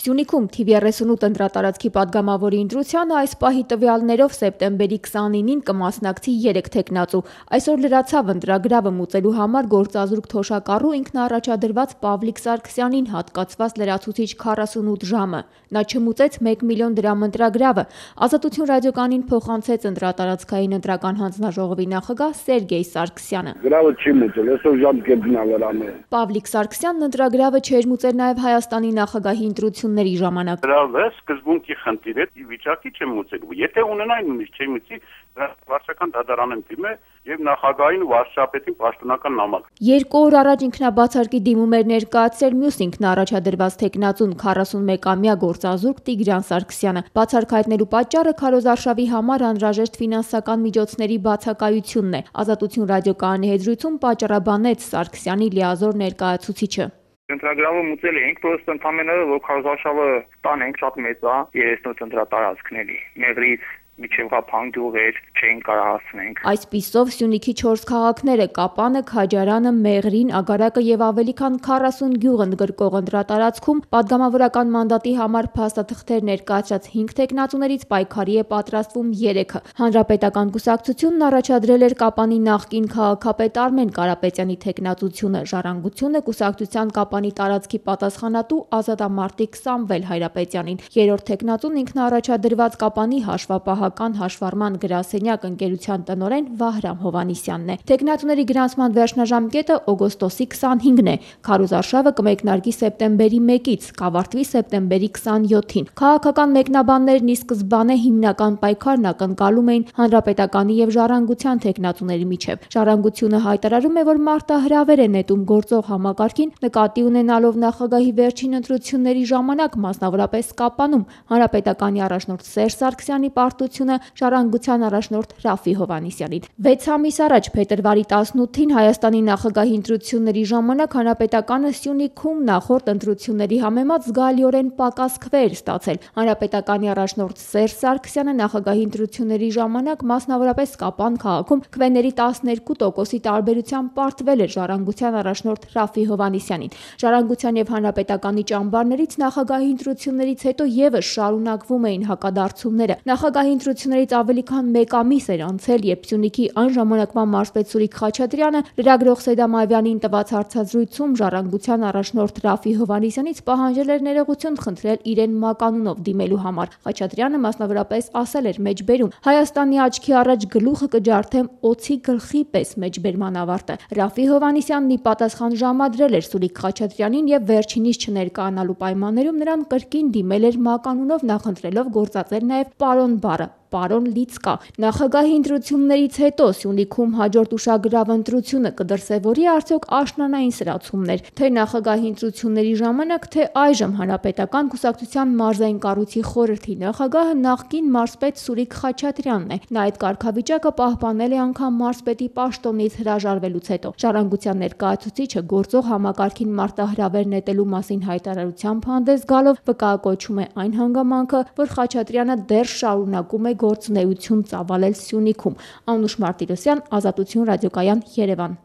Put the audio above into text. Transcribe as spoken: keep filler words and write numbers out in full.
Սյունիքում թիվ երեսունութ ընտրատարածքի պատգամավորի ընտրությանը այս պահի տվյալներով սեպտեմբերի քսանինին կմասնակցի երեք թեկնածու։ Այսօր լրացավ ընտրագրավը մուծելու համար գործազուրկ թոշակառու ինքնաառաջադրված Պավլիկ Սարգսյանին հատկացված լրացուցիչ քառասունութ ժամը։ Նա չմուծեց մեկ միլիոն դրամ ընտրագրավը։ Ազատություն ռադիոկայանին փոխանցեց ընտրատարածքային ընտրական հանձնաժողովի նախագահ Սերգեյ Սարգսյանը։ Գրավը չի մուծել, այսօր ժամկետն ա վրանը։ Պավլիկ Սարգսյանն ընտրագրավը չէր մուծել նաև Հայաստանի նախագահի ընտրությունների ժամանակ։ Գրավը սկզբունքի խնդիր է, վիճակի չեմ մուծելու։ Եթե ունենային նույնիսկ չի մուծի, վարչական դատարանն դիմե եւ նախագահային ու վարչապետին պաշտոնական նամակ։ Երկու օր առաջ ինքնաբացարկի դիմում էր ներկայացրել մյուս ինքնաառաջադրված թեկնածուն քառասունմեկամյա գործազուրկ Տիգրան Սարգսյանը։ Բացարկ հայտնելու պատճառը քարոզարշավի համար անհրաժեշտ ֆինանսական միջոցների բացակայությունն է։ Ազատություն ռադիոկայանի հետ զրույցում պատճառաբանեց Սարգսյանի լիազոր ներկայացուցիչը։ Ընտրագրավը մուծել էինք, պրոստը ընդհանրապես որ քարոզարշավը տանենք շատ մեծ է, երեսունութ ընտրատարածքների։ Մեղրից միջև Ղափան գյուղեր չէին կարող հասնենք։ Այսպիսով Սյունիքի չորս քաղաքները՝ Կապանը, Քաջարանը, Մեղրին, Ագարակը եւ ավելի քան քառասուն գյուղ ընդգրկող ընտրատարածքում պատգամավորական մանդատի համար փաստաթղթեր ներկայացրած հինգ թեկնածուներից պայքարի է պատրաստվում երեքը։ Հանրապետական կուսակցությունն առաջադրել էր Կապանի նախկին քաղաքապետ Արմեն Կարապետյանի թեկնածությունը, Ժառանգությունը կուսակցության Կապանի տարածքի պատասխանատու ազատամարտիկ Սամվել Հայրապետյանին։ Երրորդ թեկնածուն ինքնաառաջադրված Կապանի հաշվապահական հաշվառման գրասենյակ ընկերության տնօրեն Վահրամ Հովհաննիսյանն է։ Թեկնածուների գրանցման վերջնաժամկետը օգոստոսի քսանհինգն է։ Քարոզարշավը կմեկնարկի սեպտեմբերի մեկից, կավարտվի սեպտեմբերի քսանյոթին։ Քաղաքական մեկնաբաններն ի սկզբանե հիմնական պայքարն ակնկալում էին Հանրապետականի եւ Ժառանգության թեկնածուների միջև։ Ժառանգությունը հայտարարում է, որ մարտահրավեր է նետում գործող համակարգին, նկատի ունենալով նախագահի վերջին ընտրությունների ժամանակ, մասնավորապես Կապանում, Հանրապետականի առաջնորդ Սերժ Սարգսյանի պարտությունը Ժառանգության առաջնորդ Ռաֆֆի Հովհաննիսյանին։ Վեց ամիս առաջ փետրվարի տասնութին Հայաստանի նախագահի ընտրությունների ժամանակ Հանրապետականը Սյունիքում նախորդ ընտրությունների համեմատ զգալիորեն պակաս քվեեր ստացել։ Հանրապետականի առաջնորդ Սերժ Սարգսյանը նախագահի ընտրությունների ժամանակ մասնավորապես Կապան քաղաքում քվեների տասներկու տոկոսի տարբերությամբ պարտվել էր Ժառանգության առաջնորդ Ռաֆֆի Հովհաննիսյանին։ Ժառանգության եւ Հանրապետականի ճամբարներից նախագահի ընտրություններից հետո եւս շարունակվում էին հակադարձումները։ Նախագահի ընտրություններից ավելի քան մեկ ամիս էր անցել, երբ Սյունիքի այն ժամանակվա մարզպետ Սուրիկ Խաչատրյանը լրագրող Սեդամ Ավյանին տված հարցազրույցում Ժառանգության առաջնորդ Ռաֆֆի Հովհաննիսյանից պահանջել էր ներողություն խնդրել իրեն մականունով դիմելու համար։ Խաչատրյանը մասնավորապես ասել էր մեջբերում. «Հայաստանի աչքի առաջ գլուխը կջարդեմ օձի գլխի պես» մեջբերման ավարտը։ Ռաֆֆի Հովհաննիսյանն ի պատասխան ժամադրել էր Սուրիկ Խաչատրյանին եւ վերջինիս չներկայանալու պայմաններում նրան կրկին դիմել էր մականունով, նախընտրելով գործածել նաեւ պարոն բառը։ Պարոն Լիցկա։ Նախագահի ընտրություններից հետո Սյունիքում հաջորդ ուշագրավ ընտրությունը կդրսևորի արդյոք աշնանային սրացումներ, թե նախագահի ընտրությունների ժամանակ, թե այժմ Հանրապետական կուսակցության մարզային կառույցի խորհրդի նախագահը նախկին մարզպետ Սուրիկ Խաչատրյանն է։ Նա այդ կարգավիճակը պահպանել է անգամ մարզպետի պաշտոնից հրաժարվելուց հետո։ Ժառանգության ներկայացուցիչը գործող համակարգին մարտահրավեր նետելու մասին հայտարարությամբ հանդես գալով վկայակոչում է այն հանգամանքը, որ Խաչատրյանը դեռ շարունակում է գործունեություն ծավալել Սյունիքում։ Անուշ Մարտիրոսյան, Ազատություն ռադիոկայան, Երևան։